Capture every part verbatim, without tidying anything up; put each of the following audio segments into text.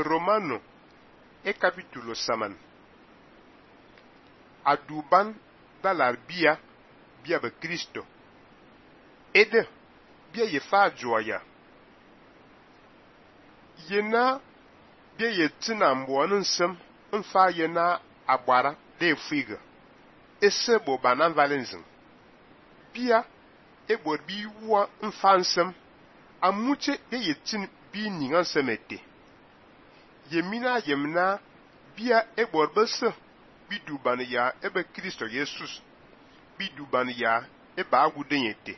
Romano e capítulo saman. Aduban dalar bia bia be Cristo. Ede bia ye fa joya. Yena bia ye tina mboan nsem mfa yena agbara de figa. Ese bo banan valenzin. Bia e bor bi wa mfa nsem amuche bia ye tin bi ningan semete. Yemina yemna bia e bor bese bi duban ya ebe Kristo Jesus bi duban ya e ba agudenyete.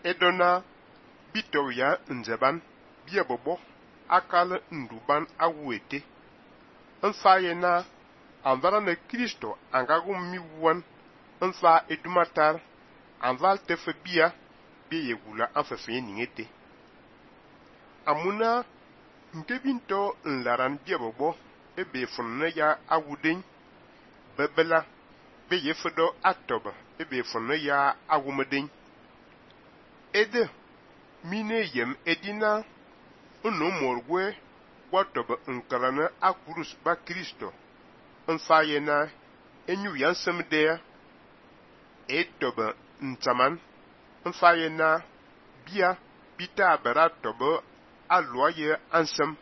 Edona bito ya nzeban bia bobo akal nduban awuete. Nfa yena anvara ne Kristo angagum mi wan nfa edumatar anval tefe bia bia yegula anfefe ningete. Amuna nke binto nlaran bia bobo ebe funne ya awuden bebela be yefedo atoba ebe funne ya awumeden. Ede mine yem edina unu morgwe watoba nkarana akurus ba Kristo nfa yena enyu yansem de etoba ntaman nfa yena bia bita bara toba aloye ansem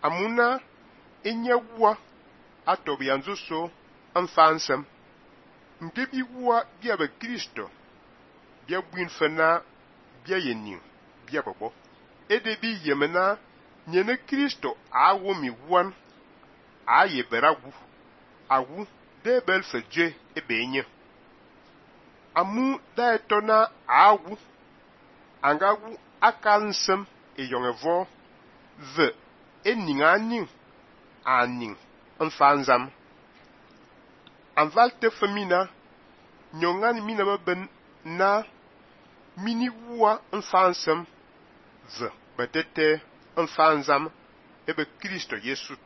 amuna enyewa atobi yanzu so nfa ansem ngebi wa bia be Kristo bia buin fena bia yenin bia bobo edebi yemena nyene Kristo awo mi wan aye beragu awu de bel feje ebenye amu da etona awu angagu akansem eyongevo ve eninganin anin mfanzam anvalte femina nyongan mina baben na mini wa mfansem ve betete mfanzam ebe Kristo Yesu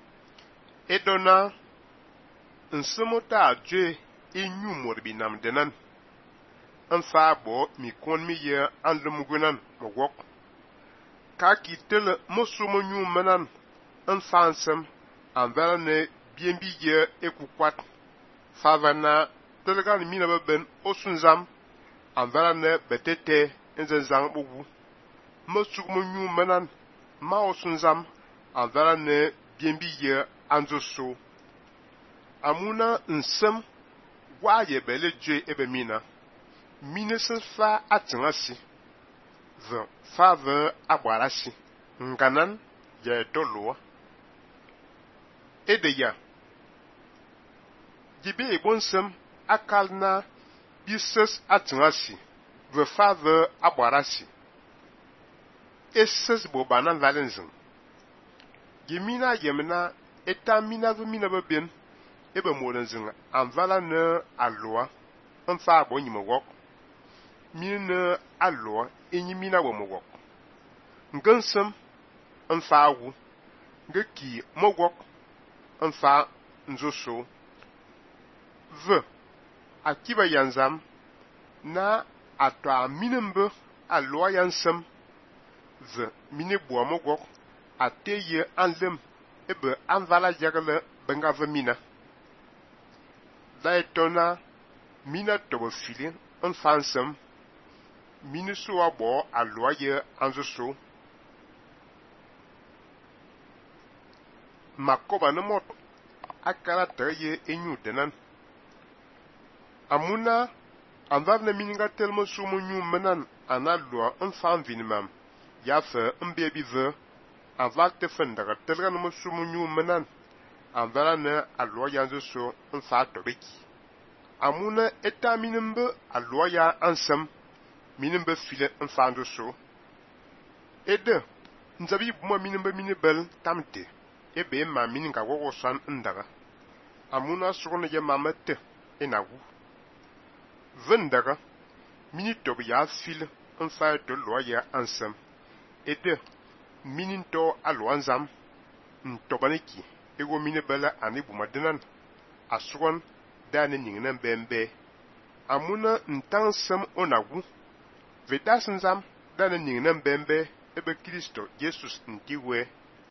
edona nsemota adje enyu morbinam denan mfa bo mi kon mi ye andlumugunan mogok ka kitele mosumo nyu menan mfansem anvara ne bienbi ye ekukwat favana telegan mina baben osunzam anvara ne betete enzenzang bogu mosumo nyu menan ma osunzam anvara ne bienbi ye anzoso amuna nsem wa ye bele je ebe mina mine se fa atingasi ve fa ve agbarasi nganan ye doloa edeya gibe ebonsem akalna bises atingasi ve fa ve agbarasi eses bo banan valenzin gimina yemna etamina ve mina beben ebe molenzin anvala ne aloa mfa abo nyimogok mine aloa enyimina wo mogok ngensem mfa awu ngeki mogok mfa nzoso ve akiba yanzam na atwa minembe aloa yansem ve mine bo mogok ateye anlem ebe anvala jagale benga ve mina da etona mina tobo filin mfansem mine so abo aloa ye anzoso makoba ne mot akara teye enyu denan amuna anvar ne mininga telmo sumu nyu menan analoa mfan vinimam yafe mbebi ve anvar te fendaga telga no sumu nyu menan anvara ne aloa yanzoso mfa tobeki amuna eta minimbe aloa ya ansem minimbe file mfando so ede nzabi buma minimbe minibel tamte ebe ma mininga wogosan ndaga amuna sugone je mamete enagu vendaga mini tob ya file mfa to loa ya ansem ede mininto aloanzam ntobaneki ego minibela ani buma denan asugon dane ningnan bembe amuna ntansem onagu vedasinzam dane ningnan bembe ebe Kristo Jesus ntiwe